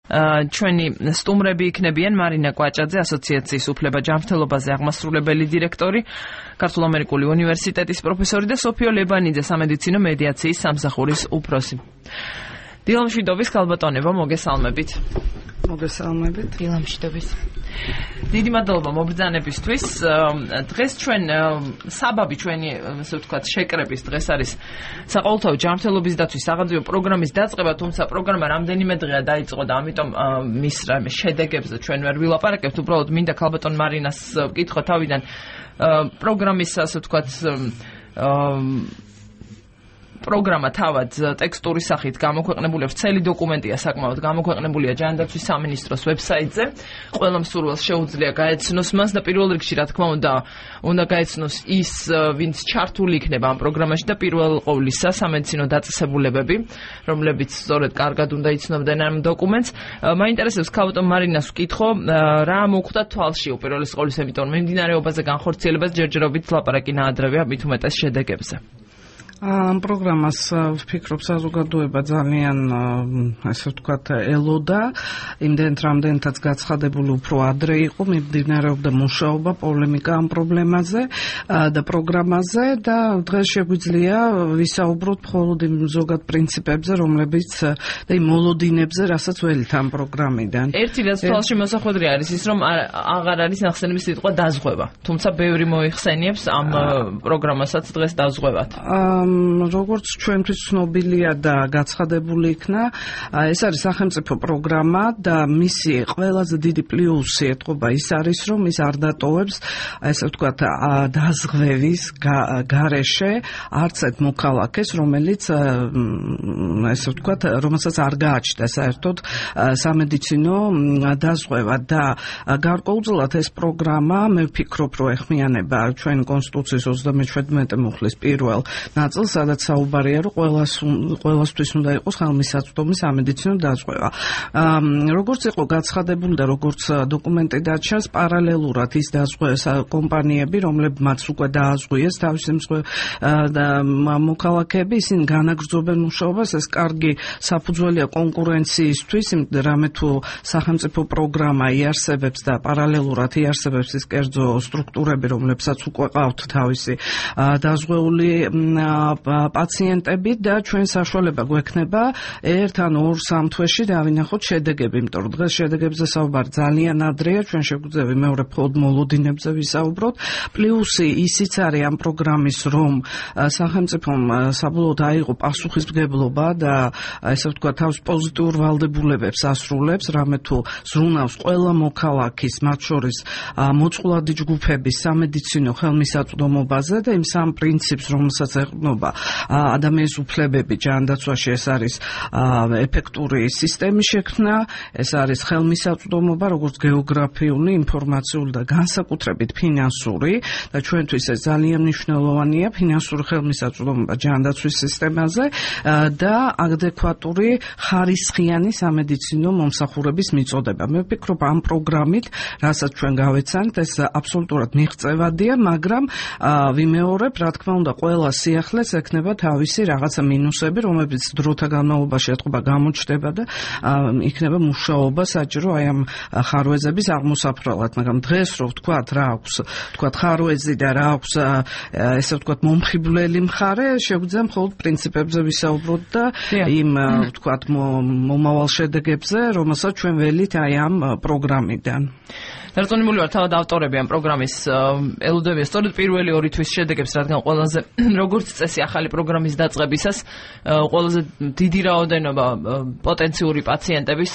ჩვენი სტუმრები იქნებიან მარინა კვაჭაძე, ასოციაციის უფლება ჯანმრთელობაზე აღმასრულებელი დირექტორი, ქართულ-ამერიკული უნივერსიტეტის პროფესორი და სოფიო ლებანიძე, სამედიცინო მედიაციის სამსახურის უფროსი. დილამშვიდობის ქალბატონებო, მოგესალმებით. მოგესალმებით. დილამშვიდობის. დიდი მადლობა მობრძანებისთვის. დღეს ჩვენ საბაბი ჩვენი, ასე ვთქვათ, შეკრების დღეს არის საყოველთაო ჯანმრთელობის დაცვის საღამოძიებო პროგრამის დაწყება, თუმცა პროგრამა რამდენიმე დღეა დაიწყო და ამიტომ მის შედეგებზე ჩვენ ვერ ვილაპარაკებთ. უბრალოდ მინდა ქალბატონ მარინას ვკითხო თავიდან პროგრამის, ასე ვთქვათ, პროგრამა თავად ტექსტური სახით გამოქვეყნებულია, ვრცელი დოკუმენტია საკმაოდ, გამოქვეყნებულია ჯანდაცვის სამინისტროს ვებსაიტზე. ყველა მსურველს შეუძლია გაეცნოს მას და პირველ რიგში, რა თქმა უნდა გაეცნოს ის, ვინც ჩართული იქნება ამ პროგრამაში და პირველ ყოვლისა სამედიცინო დაწესებულებები, რომლებიც სწორედ კარგად უნდა იცნობდნენ ამ დოკუმენტს. მაინტერესებს ქალბატონ მარინას ვკითხო, რა მოხდა თვალში უპირველეს ყოვლისა, იმიტომ რომ მიმდინარეობაზე განხორციელებას ჯერჯერობით ლაპარაკი ნაადრევია, მით უმეტეს შედეგებზე. ამ პროგრამას ვფიქრობ საზოგადოება ძალიან, ასე ვთქვათ, ელოდა, იმდენთ რამდენთაც გაცხადებული უფრო ადრე იყო, მიმდინარეობდა მუშაობა, პოლემიკა ამ პრობლემაზე და პროგრამაზე და დღეს შეგვიძლია ვისაუბროთ მხოლოდ იმ ზოგად პრინციპებზე, რომლებიც და იმ მოლოდინებზე, რასაც ველით ამ პროგრამიდან. ერთი რაც თვალში მოსახვედრი არის ის, რომ აღარ არის ნახსენების სიტყვა დაზღვევა, თუმცა ბევრი მოიხსენიებს ამ პროგრამასაც დღეს დაზღვევათ. როგორც ჩვენთვის ცნობილია და გაცხადებული იქნა, ეს არის სახელმწიფო პროგრამა და მისი ყველაზე დიდი პლუსი ეთყობა ის არის, რომ ის არ დატოვებს, ესე ვთქვათ, დაზღვევის გარეშე არც ერთ მოქალაქეს, რომელიც, ესე ვთქვათ, რომელსაც არ გააჩნდა საერთოდ სამედიცინო დაზღვევა და გარკვეულწილად ეს პროგრამა, მე ვფიქრობ, რომ ეხმიანება ჩვენი კონსტიტუციის 37 მუხლის პირველ ნაწილს, სადაც საუბარია, რომ ყველასთვის უნდა იყოს ხელმისაწვდომი სამედიცინო დაზღვევა. როგორც იყო გაცხადებული და როგორც დოკუმენტი დაჩანს, პარალელურად ის კომპანიები, რომლებმაც უკვე დააზღვიეს თავისი მოქალაქეები, ისინი განაგრძობენ მუშაობას, ეს კარგი საფუძველია კონკურენციისთვის, რამე თუ სახელმწიფო პროგრამა იარსებებს და პარალელურად იარსებებს ის კერძო სტრუქტურები, რომლებსაც უკვე ყავთ თავისი დაზღვეული პაციენტები და ჩვენ საშუალება გვექნება ერთ ან ორ სამ თვეში დავინახოთ შედეგები, იმიტომ რომ დღეს შედეგებზე საუბარი ძალიან ადრეა, ჩვენ შეგვიძლია მეორე მხოლოდ მოლოდინებზე ვისაუბროთ. პლუსი ისიც არის ამ პროგრამის, რომ სახელმწიფომ საბოლოოდ აიღო პასუხისმგებლობა და ესე ვთქვათ, თავს პოზიტიურ ვალდებულებებს ასრულებს, რამე თუ ზრუნავს ყველა მოქალაქის, მათ შორის მოწყვლადი ჯგუფების სამედიცინო ხელმისაწვდომობაზე და იმ სამ პრინციპს, რომელსაც ეყრდნობა ადამიანის უფლებები ჯანდაცვაში, ეს არის ეფექტური სისტემის შექმნა, ეს არის ხელმისაწვდომობა, როგორც გეოგრაფიული, ინფორმაციული და განსაკუთრებით ფინანსური და ჩვენთვის ეს ძალიან მნიშვნელოვანია, ფინანსური ხელმისაწვდომობა ჯანდაცვის სისტემაზე და ადეკვატური ხარისხიანი სამედიცინო მომსახურების მიწოდება. მე ვფიქრობ, ამ პროგრამით, რასაც ჩვენ გავეცანთ, ეს აბსოლუტურად მიღწევადია, მაგრამ ვიმეორებ, რა თქმა უნდა, ყველა სიახლეს ექნება თავისი რაღაცა მინუსები, რომლებიც დროთა განმავლობაში ეთყობა გამოჩნდება და იქნება მუშაობა საჭირო აი ამ ხარვეზების აღმოსაფრელად, მაგრამ დღეს რო ვთქვათ, რა აქვს, ვთქვათ ხარვეზი და რა აქვს, ესე ვთქვათ მომხიბვლელი მხარე, შეგვიძლია მხოლოდ პრინციპებზე ვისაუბროთ და იმ ვთქვათ მომავალ შედეგებზე, რომელსაც ჩვენ ველით აი ამ პროგრამიდან. დარწმუნებული ვარ, თავად ავტორები ამ პროგრამის ელოდებიან სწორედ პირველი ორი თვის შედეგებს, რადგან ყველაზე, როგორც წესი, ახალი პროგრამის დაწყებისას ყველაზე დიდი რაოდენობა პოტენციური პაციენტების,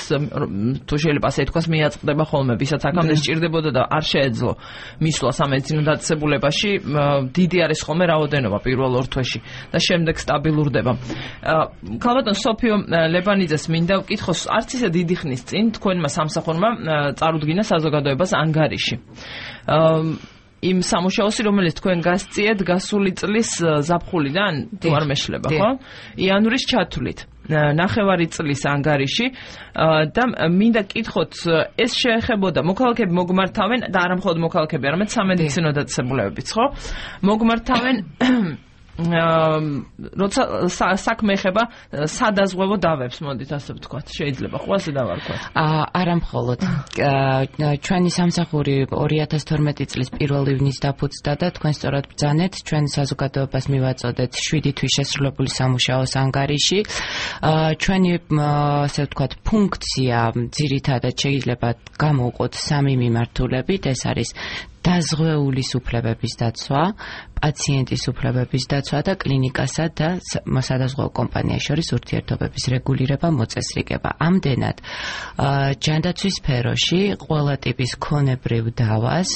თუ შეიძლება ასე თქვას, მიაწყდება ხოლმე, ვისაც აქამდე სჭირდებოდა და არ შეეძლო მისვლა სამედიცინო დაწესებულებაში, დიდი არის ხოლმე რაოდენობა პირველ ორ თვეში და შემდეგ სტაბილურდება. ქალბატონ სოფიო ლებანიძეს მინდა ვკითხოს, არც ისე დიდი ხნის წინ თქვენმა სამსახურმა წარუდგინა საზოგადოებას ანგარიში. იმ სამუშაოსი, რომელიც თქვენ გასწიეთ გასული წლის ზაფხულიდან, თუ არ მეშლება, ხო? იანვრის ჩათვლით. ნახევარი წლის ანგარიში და მინდა კითხოთ, ეს შეეხებოდა მოქალაქეები მოგმართავენ და არა მხოლოდ მოქალაქეები, არამედ სამედიცინო დაწესებულებებიც, ხო? მოგმართავენ როცა საქმე ეხება სადაზღვევო დავებს, მოდით ასე ვთქვათ, შეიძლება ხო ასე დავარქვათ? არა მხოლოდ. ჩვენი სამსახური 2012 წლის 1 ივნისს დაფუძნდა და თქვენ სწორად ბრძანეთ, ჩვენ საზოგადოებას მივაწოდეთ 7 თვის შესრულებული სამუშაოს ანგარიში. ჩვენი ასე ვთქვათ ფუნქცია ძირითადად შეიძლება გამოვყოთ 3 მიმართულებით, ეს არის დაზღვეულის უფლებების დაცვა, პაციენტის უფლებების დაცვა და კლინიკასა და სადაზღვევო კომპანიას შორის ურთიერთობების რეგულირება, მოწესრიგება. ამდენად, ჯანდაცვის სფეროში ყველა ტიპის ქონებრივ დავას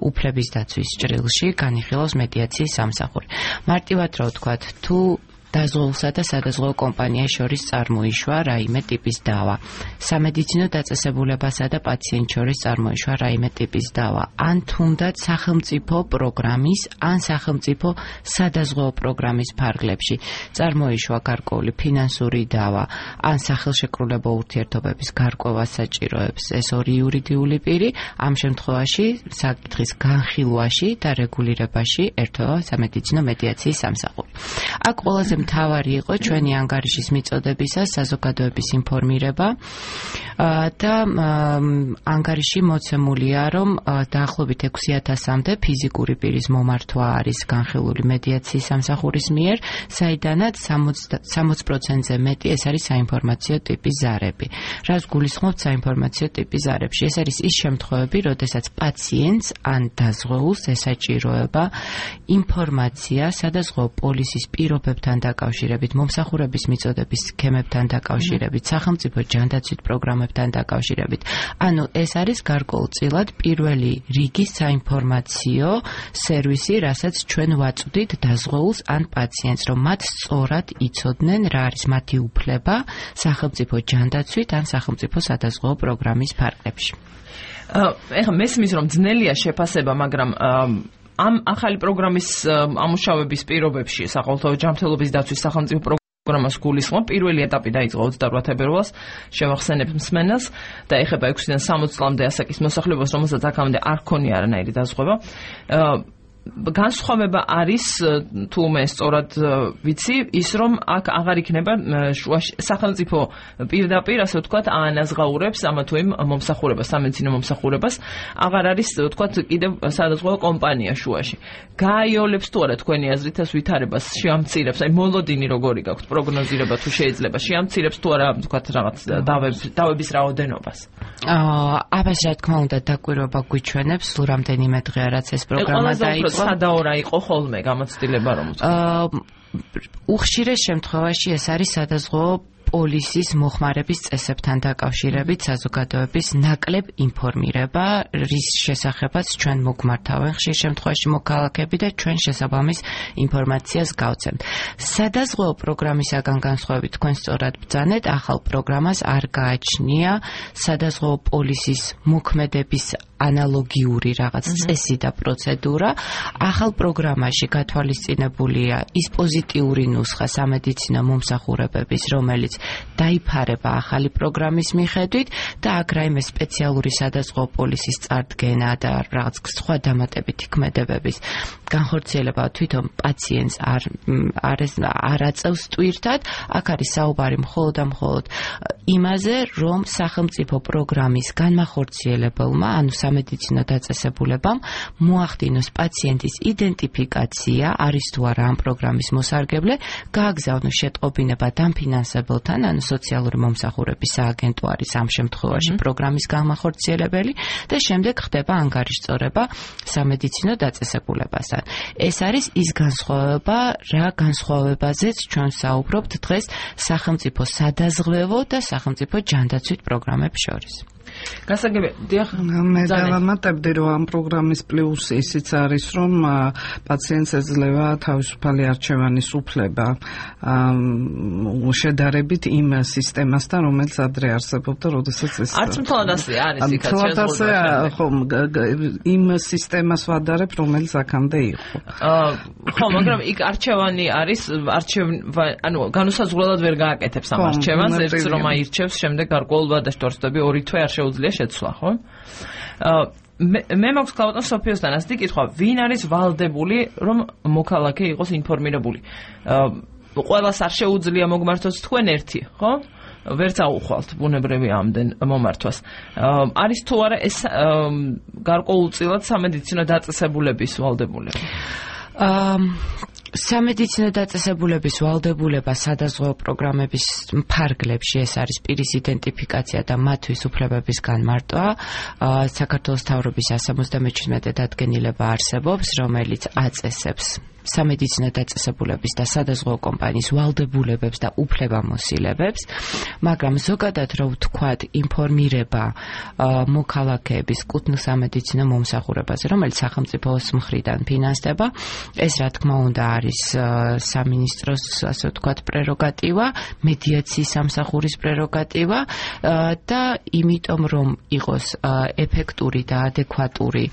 უფლების დაცვის ჭრილში განიხილავს მედიაციის სამსახური. მარტივად რა ვთქვათ, თუ დაზღვეულსა და სადაზღვევო კომპანიას შორის წარმოიშვა რაიმე ტიპის დავა. სამედიცინო დაწესებულებასა და პაციენტს შორის წარმოიშვა რაიმე ტიპის დავა. ან თუნდაც სახელმწიფო პროგრამის, ან სახელმწიფო სადაზღვევო პროგრამის ფარგლებში წარმოიშვა გარკვეული ფინანსური დავა, ან სახელშეკრულებო ურთიერთობების გარკვევა საჭიროებს ეს ორი იურიდიული პირი, ამ შემთხვევაში საკითხის განხილვაში და რეგულირებაში ერთვება სამედიცინო მედიაციის სამსახური. აქ ყველაზე მთავარი იყო ჩვენი ანგარიშის მიწოდებისას საზოგადოების ინფორმირება და ანგარიში მოცემულია, რომ დაახლოებით 6000-მდე ფიზიკური პირის მომართვა არის განხილული მედიაციის სამსახურის მიერ, საიდანაც 60%-ზე მეტი ეს არის საინფორმაციო ტიპის ზარები. რას გულისხმობთ საინფორმაციო ტიპის ზარებში? ეს არის ის შემთხვევები, როდესაც პაციენტს ან დაზღვეულს ესაჭიროება ინფორმაცია სადაზღვევო პოლისის პირობებთან დაკავშირებით, მომსახურების მიწოდების სქემებთან დაკავშირებით, სახელმწიფო ჯანდაცვით პროგრამებთან დაკავშირებით. ანუ ეს არის გარკვეულწილად პირველი რიგის საინფორმაციო სერვისი, რასაც ჩვენ ვაწვდით დაზღვეულს ან პაციენტს, რომ მათ სწორად იცოდნენ რა არის მათი უფლება სახელმწიფო ჯანდაცვით ან სახელმწიფო სადაზღვევო პროგრამის ფარგლებში. ეხლა მესმის რომ ძნელია შეფასება, მაგრამ ამ ახალი პროგრამის ამუშავების პირობებში საყოველთაო ჯანმრთელობის დაცვის სახელმწიფო პროგრამას გულისხმობ. პირველი ეტაპი დაიწყო 28 თებერვალს, შევახსენებ მსმენელს და ეხება 6-დან 60 წლამდე ასაკის მოსახლეობას, რომელსაც აქამდე არ ჰქონია არანაირი დაზღვევა. განსხვავება არის, თუ მე სწორად ვიცი, ის რომ აქ აღარ იქნება სახელმწიფო პირდაპირ, ასე ვთქვათ, აანაზღაურებს ამა თუ იმ მომსახურებას, სამედიცინო მომსახურებას, აღარ არის, ვთქვათ, კიდევ სადაზღვევო კომპანია შუაში. გააიოლებს თუ არა თქვენი აზრით ეს ვითარებას, შეამცირებს, აი მოლოდინი როგორი გაქვთ, პროგნოზირება თუ შეიძლება, შეამცირებს თუ არა, ვთქვათ, რაღაც დავების რაოდენობას. აბას რა თქმა უნდა დაკვირვება გვიჩვენებს, სულ რამდენიმე დღეა რაც ეს პროგრამა დაიწყო. სადაორა იყო ხოლმე გამოცდილება, რომ უხშირეს შემთხვევაში ეს არის სადაზღვევო პოლისის მოხმარების წესებთან დაკავშირებით საზოგადოების ნაკლებ ინფორმირება, რის შესახებაც ჩვენ მოგმართავენ ხშირ შემთხვევაში მოქალაქეები და ჩვენ შესაბამის ინფორმაციას გავცემთ. სადაზღვევო პროგრამისაგან განსხვავებით თქვენ სწორად ბრძანეთ, ახალ პროგრამას არ გააჩნია სადაზღვევო პოლისის მოქმედების ანალოგიური რაღაც წესი და პროცედურა. ახალ პროგრამაში გათვალისწინებულია ის პოზიტიური ნუსხა სამედიცინო მომსახურებების, რომელიც დაიფარება ახალი პროგრამის მიხედვით და აქ რაიმე სპეციალური სადაზღვევო პოლისის წარდგენა და რაღაც სხვა დამატებითი ქმედებების განხორციელება თვითონ პაციენტს არ აწევს ტვირთად. აქ არის საუბარი მხოლოდ და მხოლოდ იმაზე, რომ სახელმწიფო პროგრამის განმახორციელებელმა, ანუ სამედიცინო დაწესებულებამ მოახდინოს პაციენტის იდენტიფიკაცია, არის თუ არა ამ პროგრამის მოსარგებლე, გააგზავნოს შეტყობინება დამფინანსებელთან, ანუ სოციალური მომსახურების სააგენტო არის ამ შემთხვევაში პროგრამის განმახორციელებელი და შემდეგ ხდება ანგარიშწორება სამედიცინო დაწესებულებასთან. ეს არის ის განსხვავება, რა განსხვავებაზეც ჩვენ საუბრობთ დღეს სახელმწიფო სადაზღვევო და სახელმწიფო ჯანდაცვით პროგრამებს შორის. გასაგები, დიახ, მე დავამატებდი, რომ ამ პროგრამის პლუსი ისიც არის, რომ პაციენტს ეძლევა თავისუფალი არჩევანის უფლება შედარებით იმ სისტემასთან, რომელიც ადრე არსებობდა, როდესაც ეს არც მთლად ასე არის, იმ სისტემას ვადარებ, რომელიც აქამდე იყო. ხო, მაგრამ იქ არჩევანი არის, ანუ განუსაზღვრელად ვერ გააკეთებს ამ არჩევანს, ერთს რომ აირჩევს, შემდეგ გარკვეულ ვადაშტორსები 2 თვე არ შეუძლია შეუძლია შეცვლა, ხო? მე მაქვს ქალბატონ სოფიოსთან ასეთი კითხვა, ვინ არის ვალდებული, რომ მოქალაქე იყოს ინფორმირებული? ყველას არ შეუძლია მოგმართოს თქვენ ერთი, ხო? ვერც აუხვალთ ბუნებრივი ამდენ მომართვას. არის თუ არა ეს გარკვეულწილად სამედიცინო დაწესებულების ვალდებულება? სამედიცინო დაწესებულების ვალდებულება სადაზღვეო პროგრამების ფარგლებში ეს არის პირის იდენტიფიკაცია და მათთვის უფლებების განმარტვა. საქართველოს მთავრობის 177 დადგენილება არსებობს, რომელიც აწესებს სამედიცინო დაწესებულების და სადაზღვეო კომპანიის ვალდებულებებს და უფლებამოსილებებს, მაგრამ ზოგადად რო ვთქვათ ინფორმირება მოქალაქეების კუთვნილ სამედიცინო მომსახურებაზე, რომელიც სახელმწიფოს მხრიდან ფინანსდება, ეს რა თქმა უნდა არის სამინისტროს, ასე ვთქვათ, პრეროგატივა, მედიაციის სამსახურის პრეროგატივა და იმიტომ რომ იყოს ეფექტური და ადეკვატური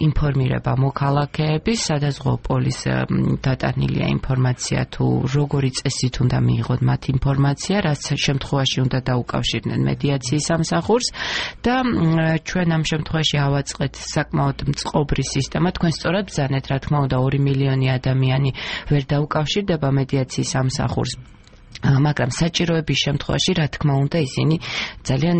ინფორმირება მოქალაქეების, სადაზღვეო პოლის დატანილია ინფორმაცია თუ როგორი წესით უნდა მიიღოთ მათ ინფორმაცია, რაც შემთხვევაში უნდა დაუკავშირდნენ მედიაციის სამსახურს და ჩვენ ამ შემთხვევაში ავაწყეთ საკმაოდ მწყობრი სისტემა. თქვენ სწორად ბრძანეთ, რა თქმა უნდა 2 მილიონი ადამიანი ვერ დაუკავშირდება მედიაციის სამსახურს. მაგრამ საჭიროების შემთხვევაში, რა თქმა უნდა, ისინი ძალიან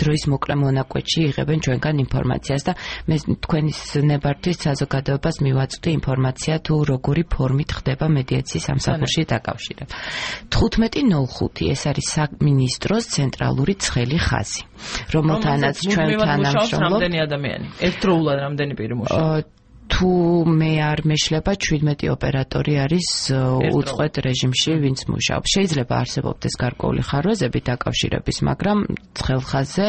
დროის მოკლე მონაკვეთში იღებენ ჩვენგან ინფორმაციას და მე თქვენის ნებართვის საზოგადოებას მივაწვდი ინფორმაცია თუ როგორი ფორმით ხდება მედიაციის სამსახურში დაკავშირება. 15.05 ეს არის სამინისტროს ცენტრალური ცხელი ხაზი, რომელთანაც ჩვენ თანამშრომლობთ. რამდენი ადამიანი? ერთდროულად რამდენი პირი მუშაობს? თუ მე არ მეშლება 17 ოპერატორი არის უწყვეტ რეჟიმში, ვინც მუშაობს. შეიძლება არსებობდეს გარკვეული ხარვეზები დაკავშირების, მაგრამ ცხელხაზზე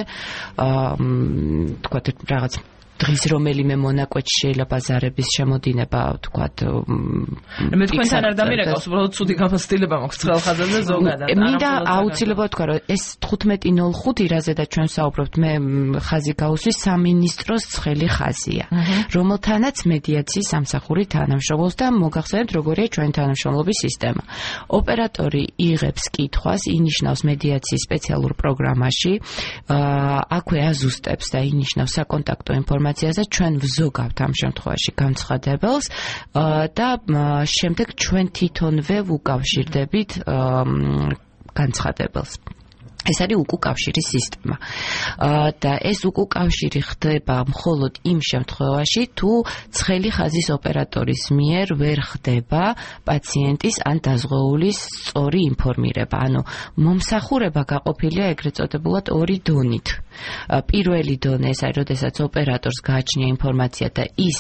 თქვათ რაღაც დღის რომელიმე მონაკვეთში შეიძლება ზარების შემოდინება, ვთქვათ. მე თქვენთან არ დამირეკავს, უბრალოდ ცუდი გამოცდილება მაქვს ცხელხაზზე ზოგადად. მინდა აუცილებლად ვთქვა, რომ ეს 15.05 რაზედაც ჩვენ საუბრობთ, მე ხაზი გაუსვი სამინისტროს ცხელი ხაზია, რომელთანაც მედიაციის სამსახური თანამშრომლობს და მოგახსენებთ, როგორია ჩვენი თანამშრომლობის სისტემა. ოპერატორი იღებს კითხვას, ინიშნავს მედიაციის სპეციალურ პროგრამაში, აქვე აზუსტებს და ინიშნავს საკონტაქტო ინფორმაციას. ჩვენ ვზოგავთ ამ შემთხვევაში განცხადებელს და შემდეგ ჩვენ თვითონვე ვუკავშირდებით განცხადებელს. ეს არის უკუკავშირის სისტემა. და ეს უკუკავშირი ხდება მხოლოდ იმ შემთხვევაში, თუ ცხელი ხაზის ოპერატორის მიერ ვერ ხდება პაციენტის ან დაზღვეულის სწორი ინფორმირება. ანუ მომსახურება გაყოფილია ეგრეთ წოდებულად 2 დონით. პირველი დონე ეს არის, როდესაც ოპერატორს გააჩნია ინფორმაცია და ის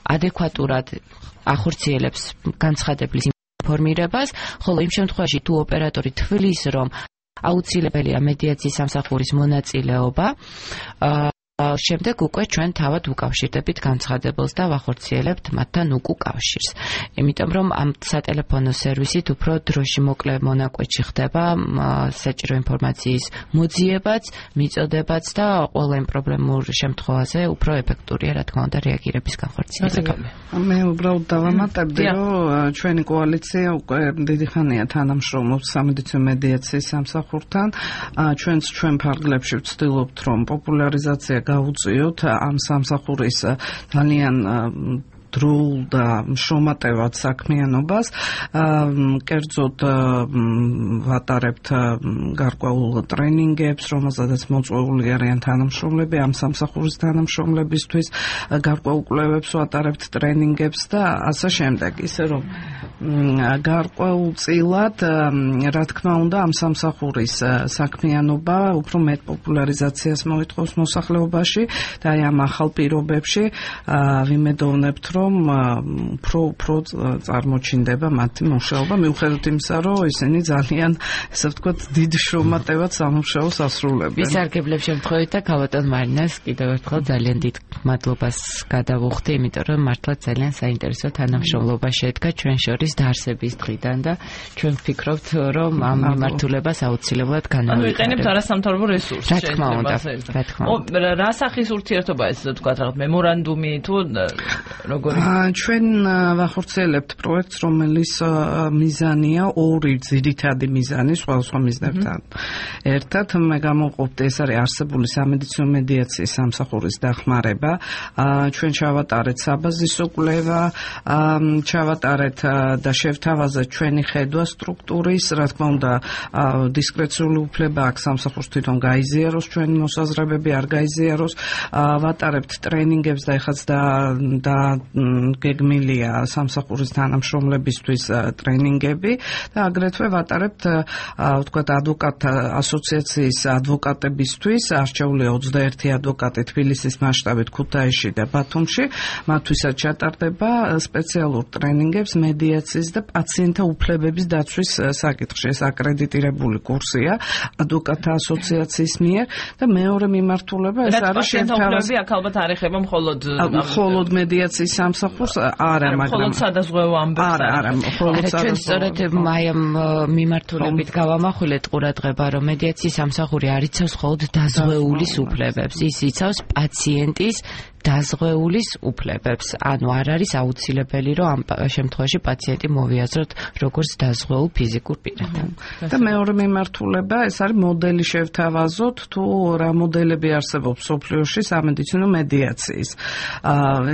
ადეკვატურად ახორციელებს განცხადებლის ინფორმირებას, ხოლო იმ შემთხვევაში თუ ოპერატორი თვლის, რომ აუცილებელია მედიაციის სამსახურის მონაწილეობა, შემდეგ უკვე ჩვენ თავად ვუკავშირდებით განცხადებელს და ვახორციელებთ მათთან უკუკავშირს. იმიტომ რომ ამ სატელეფონო სერვისით უფრო დროში მოკლე მონაკვეთში ხდება საჭირო ინფორმაციის მოძიებაც, მიწოდებაც და ყველა იმ პრობლემურ შემთხვევაზე უფრო ეფექტურია, რა თქმა უნდა, რეაგირების განხორციელება. მე უბრალოდ დავამატებდი, რომ ჩვენი კოალიცია უკვე დიდი ხანია თანამშრომლობს სამედიცინო მედიაციის სამსახურთან. ჩვენ ფარგლებში ვცდილობთ, რომ პოპულარიზაცია გავუწიოთ ამ სამსახურის ძალიან დროულ და შრომატევად საქმიანობას. კერძოდ ვატარებთ გარკვეულ ტრენინგებს, რომელზედაც მოწვეული არიან თანამშრომლები, ამ სამსახურის თანამშრომლებისთვის გარკვეულ კვლევებს ვატარებთ ტრენინგებს და ასე შემდეგ. ისე რომ გარკვეულწილად, რა თქმა უნდა, ამ სამსახურის საქმიანობა უფრო მეტ პოპულარიზაციას მოითხოვს მოსახლეობაში და აი ამ ახალ პირობებში ვიმედოვნებთ, რომ უფრო წარმოჩინდება მათი მუშაობა, მიუხედავად იმისა, რომ ისინი ძალიან, ესე ვთქვათ, დიდ შრომატევად სამუშაოს ასრულებენ. ვისარგებლებ შემთხვევით და ქალბატონ მარინას კიდევ ერთხელ ძალიან დიდ მადლობას გადავუხდი, იმიტომ რომ მართლა ძალიან საინტერესო თანამშრომლობა შედგა ჩვენ შორის დაარსების დღიდან და ჩვენ ვფიქრობთ, რომ ამ მიმართულებას აუცილებლად განვიხილებთ. ვიყენებთ არასამთავრობო რესურსს. რა თქმა უნდა. რა სახის ურთიერთობა ეს თქვა, რაღაც მემორანდუმი თუ როგორ როგორი? ჩვენ ვახორციელებთ პროექტს, რომელიც მიზანია ორი ძირითადი მიზანი სხვადასხვა მიზნებთან ერთად. მე გამოვყოფთ, ეს არის არსებული სამედიცინო მედიაციის სამსახურის დახმარება. ჩვენ ჩავატარეთ საბაზისო კვლევა, ჩავატარეთ და შევთავაზეთ ჩვენი ხედვა სტრუქტურის, რა თქმა უნდა, დისკრეციული უფლება აქვს სამსახურს თვითონ გაიზიაროს ჩვენი მოსაზრებები, არ გაიზიაროს. ვატარებთ ტრენინგებს და ეხაც და გეგმილია სამსახურის თანამშრომლებისთვის ტრენინგები და აგრეთვე ვატარებთ ვთქვათ ადვოკატთა ასოციაციის ადვოკატებისთვის არჩეული 21 ადვოკატი თბილისის მასშტაბით ქუთაისში და ბათუმში, მათთვისაც ჩატარდება სპეციალურ ტრენინგებს მედიაციის და პაციენტთა უფლებების დაცვის საკითხში. ეს აკრედიტირებული კურსია ადვოკატთა ასოციაციის მიერ და მეორე მიმართულება ეს არის შევთავაზება. აქ ალბათ არ ეხება მხოლოდ მედიაციის სამსახურს, არა, მაგრამ მხოლოდ სადაზღვევო ამბებს არა, მხოლოდ ჩვენ სწორედ აი ამ მიმართულებით გავამახვილეთ ყურადღება, რომ მედიაციის სამსახური არ იცავს მხოლოდ დაზღვეულის უფლებებს, ის იცავს პაციენტის დაზღვეულის უფლებებს. ანუ არ არის აუცილებელი, რომ ამ შემთხვევაში პაციენტი მოვიაზროთ როგორც დაზღვეულ ფიზიკურ პირად. და მეორე მიმართულება ეს არის მოდელი შევთავაზოთ, თუ რა მოდელები არსებობს სოფლიოში სამედიცინო მედიაციის.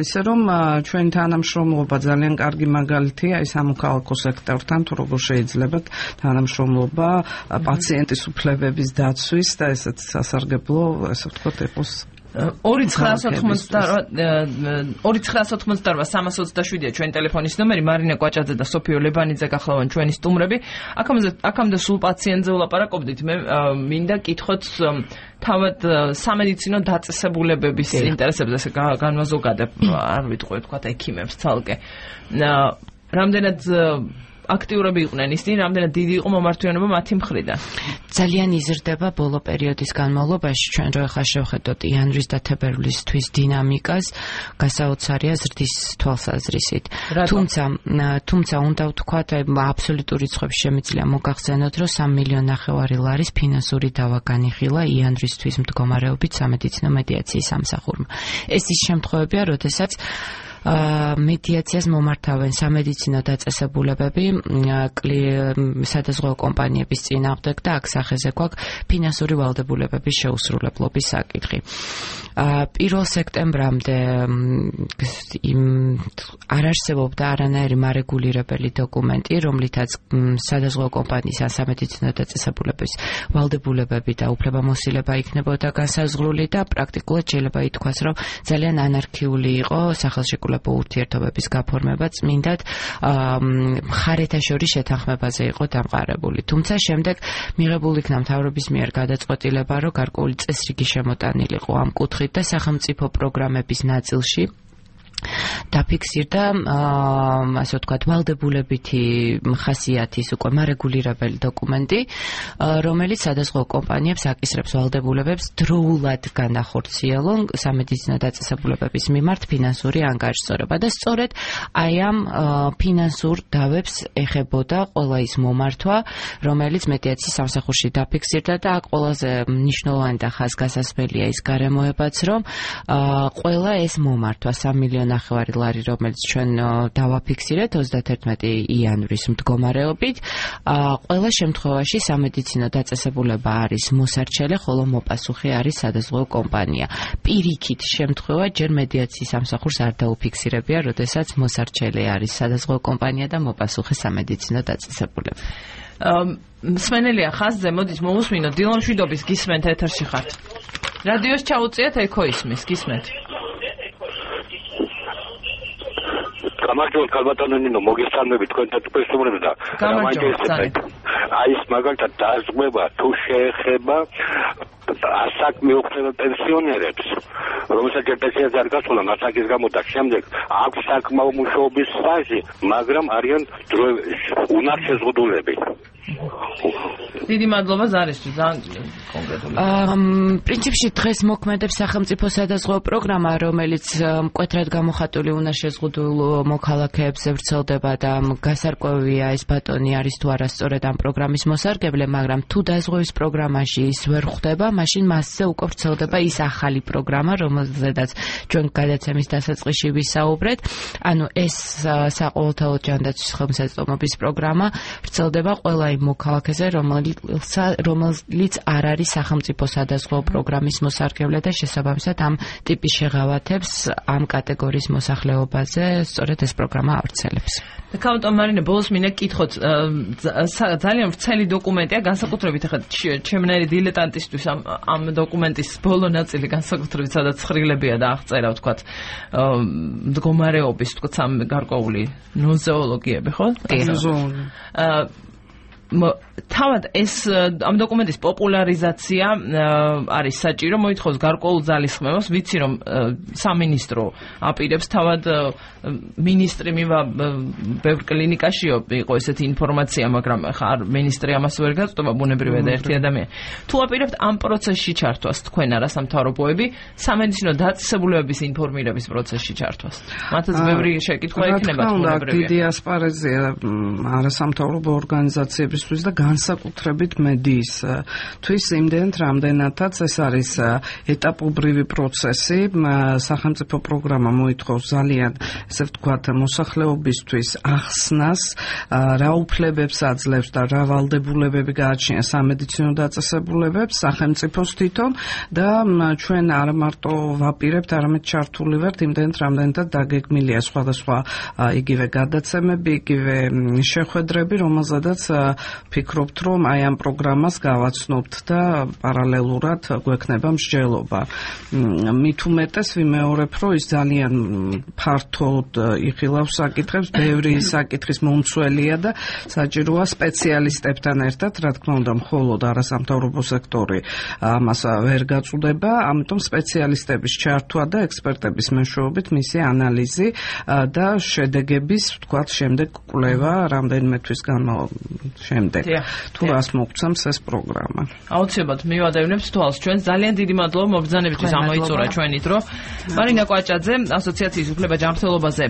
ესე რომ ჩვენი თანამშრომლობა ძალიან კარგი მაგალითია ის ამოქალაქო სექტორთან, თუ როგორ შეიძლება თანამშრომლობა პაციენტის უფლებების დაცვის და ესეც სასარგებლო, ესე ვთქვათ, ეპოს 2998327-ია ჩვენი ტელეფონის ნომერი. მარინა კვაჭაძე და სოფიო ლებანიძე გახლავენ ჩვენი სტუმრები. აქამდე სულ პაციენტზე ვლაპარაკობდით. მე მინდა კითხოთ თავად სამედიცინო დაწესებულებების ინტერესებზე განვაზოგადებ, არ ვიტყვი თქვა ექიმებს ცალკე. რამდენად აქტიურები იყვნენ ისინი, რამდენად დიდი იყო მომართვიანობა მათი მხრიდან? ძალიან იზრდება ბოლო პერიოდის განმავლობაში. ჩვენ რო ახლა შევხედოთ იანვრის და თებერვლის თვის დინამიკას, გასაოცარია ზრდის თვალსაზრისით. თუმცა უნდა ვთქვათ, აბსოლუტური რიცხვებში შემიძლია მოგახსენოთ, რომ 3,5 მილიონი ლარის ფინანსური დავა განიხილა იანვრის თვის მდგომარეობით სამედიცინო მედიაციის სამსახურმა. ეს ის შემთხვევებია, როდესაც მედიაციას მომართავენ სამედიცინო დაწესებულებები სადაზღვევო კომპანიების წინააღმდეგ და აქ სახეზე გვაქვს ფინანსური ვალდებულებების შეუსრულებლობის საკითხი. 1 სექტემბრამდე არ არსებობდა არანაირი მარეგულირებელი დოკუმენტი, რომლითაც სადაზღვევო კომპანიის ან სამედიცინო დაწესებულების ვალდებულებები და უფლებამოსილება იქნებოდა განსაზღვრული და პრაქტიკულად შეიძლება ითქვას, რომ ძალიან ანარქიული იყო სახელშეკრულება ურთიერთობების გაფორმება, წმინდად მხარეთა შორის შეთანხმებაზე იყო დამყარებული. თუმცა შემდეგ მიღებული იქნა მთავრობის მიერ გადაწყვეტილება, რომ გარკვეული წესრიგი შემოტანილიყო ამ კუთხით და სახელმწიფო პროგრამების ნაწილში დაფიქსირდა ასე ვთქვათ ვალდებულებითი ხასიათის უკვე მარეგულირებელი დოკუმენტი, რომელიც სადაზღვევო კომპანიებს აკისრებს ვალდებულებებს დროულად განახორციელონ სამედიცინო დაწესებულებების მიმართ ფინანსური ანგარიშსწორება და სწორედ აი ამ ფინანსურ დავებს ეხებოდა ყველა ის მომართვა, რომელიც მედიაციის სამსახურში დაფიქსირდა და აქ ყველაზე მნიშვნელოვანი და ხაზგასასმელია ის გარემოებაც, რომ ყველა ეს მომართვა 3,5 მილიონი ლარი, რომელიც ჩვენ დავაფიქსირეთ 31 იანვრის მდგომარეობით, ყველა შემთხვევაში სამედიცინო დაწესებულება არის მოსარჩელე, ხოლო მოპასუხე არის სადაზღვევო კომპანია. პირიქით შემთხვევა ჯერ მედიაციის სამსახურს არ დაუფიქსირებია, როდესაც მოსარჩელე არის სადაზღვევო კომპანია და მოპასუხე სამედიცინო დაწესებულება. მსმენელია ხაზზე, მოდით მოვუსმინოთ. დილა მშვიდობის, გისმენთ, ეთერში ხართ. რადიოს ჩაუწიეთ, ეკო ისმის, გისმენთ. გამარჯობა ქალბატონო ნინო, მოგესალმებით თქვენთან თვითმფრინავებს და გამარჯობა. აი ეს მაგალითად დაზღვევა თუ შეეხება ასაკმე უხდება პენსიონერებს, რომელსაც ჯერ პენსიაზე არ გასულა ასაკის გამო და შემდეგ აქვს საკმაო მუშაობის სტაჟი, მაგრამ არიან უნარ შეზღუდულები. დიდი მადლობა ზარისთვის, ძალიან კონკრეტული. პრინციპში დღეს მოქმედებს სახელმწიფო სადაზღვევო პროგრამა, რომელიც მკვეთრად გამოხატული უნარშეზღუდულ მოქალაქეებს ვრცელდება და გასარკვევია ეს ბატონი არის თუ არა სწორედ ამ პროგრამის მოსარგებლე, მაგრამ თუ დაზღვევის პროგრამაში ის ვერ ხვდება, მაშინ მასზე უკვე ვრცელდება ის ახალი პროგრამა, რომელზედაც ჩვენ გადაცემის დასაწყისში ვისაუბრეთ. ანუ ეს საყოველთაო ჯანდაცვის ხელმისაწვდომობის პროგრამა ვრცელდება ყველა იმ მოქალაქეზე, რომელიც არ არის სახელმწიფო სადაზღვევო პროგრამის მოსარგებლე და შესაბამისად ამ ტიპის შეღავათებს ამ კატეგორიის მოსახლეობაზე სწორედ ეს პროგრამა ავრცელებს. ქალბატონ მარინე, ბოლოს მინდა გკითხოთ, ძალიან ვრცელი დოკუმენტია, განსაკუთრებით ახლა ჩემნაირი დილეტანტისთვის ამ დოკუმენტის ბოლო ნაწილი განსაკუთრებით სადაც ცხრილებია და აღწერა ვთქვათ მდგომარეობის ვთქვათ სამ გარკვეული ნოზეოლოგიები, ხო? თავად ეს ამ დოკუმენტის პოპულარიზაცია არის საჭირო, მოითხოვს გარკვეულ ძალისხმევას, ვიცი რომ სამინისტრო აპირებს თავად მინისტრი მივა ბევრ კლინიკაში იყო ესეთი ინფორმაცია, მაგრამ ხა მინისტრი ამას ვერ გაწვდება, ბუნებრივია და ერთი ადამიანი. თუ აპირებთ ამ პროცესში ჩართვას თქვენ არასამთავრობოები, სამედიცინო დაწესებულებების ინფორმირების პროცესში ჩართვას. მათაც ბევრი შეკითხვა იქნება ბუნებრივია. დიდი ასპარეზია არასამთავრობო ორგანიზაციებისთვის და განსაკუთრებით მედიის თვის იმდენად, რამდენადაც ეს არის ეტაპობრივი პროცესი. სახელმწიფო პროგრამა მოითხოვს ძალიან, ესე ვთქვათ, მოსახლეობისთვის ახსნას, რა უფლებებს აძლევს და რა ვალდებულებები გააჩნია სამედიცინო დაწესებულებებს სახელმწიფოს თვითონ და ჩვენ არ მარტო ვაპირებთ, არამედ ჩართული ვართ იმდენად, რამდენადაც დაგეგმილია სხვადასხვა იგივე გადაცემები, იგივე შეხვედრები, რომელზედაც ვფიქრობთ, რომ აი ამ პროგრამას გავაცნობთ და პარალელურად გვექნება მსჯელობა. მით უმეტეს ვიმეორებ, რომ ის ძალიან ფართოდ იხილავს საკითხებს, ბევრი საკითხის მომცველია და საჭიროა სპეციალისტებთან ერთად, რა თქმა უნდა, მხოლოდ არასამთავრობო სექტორი ამას ვერ გაწუდება, ამიტომ სპეციალისტების ჩართვა და ექსპერტების მეშვეობით მისი ანალიზი და შედეგების, ვთქვათ, შემდეგ კვლევა რამდენიმე თვის შემდეგ. თუ რას მოგცემს ეს პროგრამა. აუცილებლად მივადევნებთ თვალს ჩვენ. ძალიან დიდი მადლობა მობრძანებისთვის ამოიწურა ჩვენი დრო. მარინა კვაჭაძე, ასოციაციის უფლება-ჯანმრთელობაზე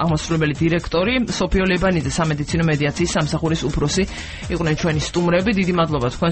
აღმასრულებელი დირექტორი, სოფიო ლებანიძე, სამედიცინო მედიაციის სამსახურის უფროსი იყვნენ ჩვენი სტუმრები. დიდი მადლობა თქვენს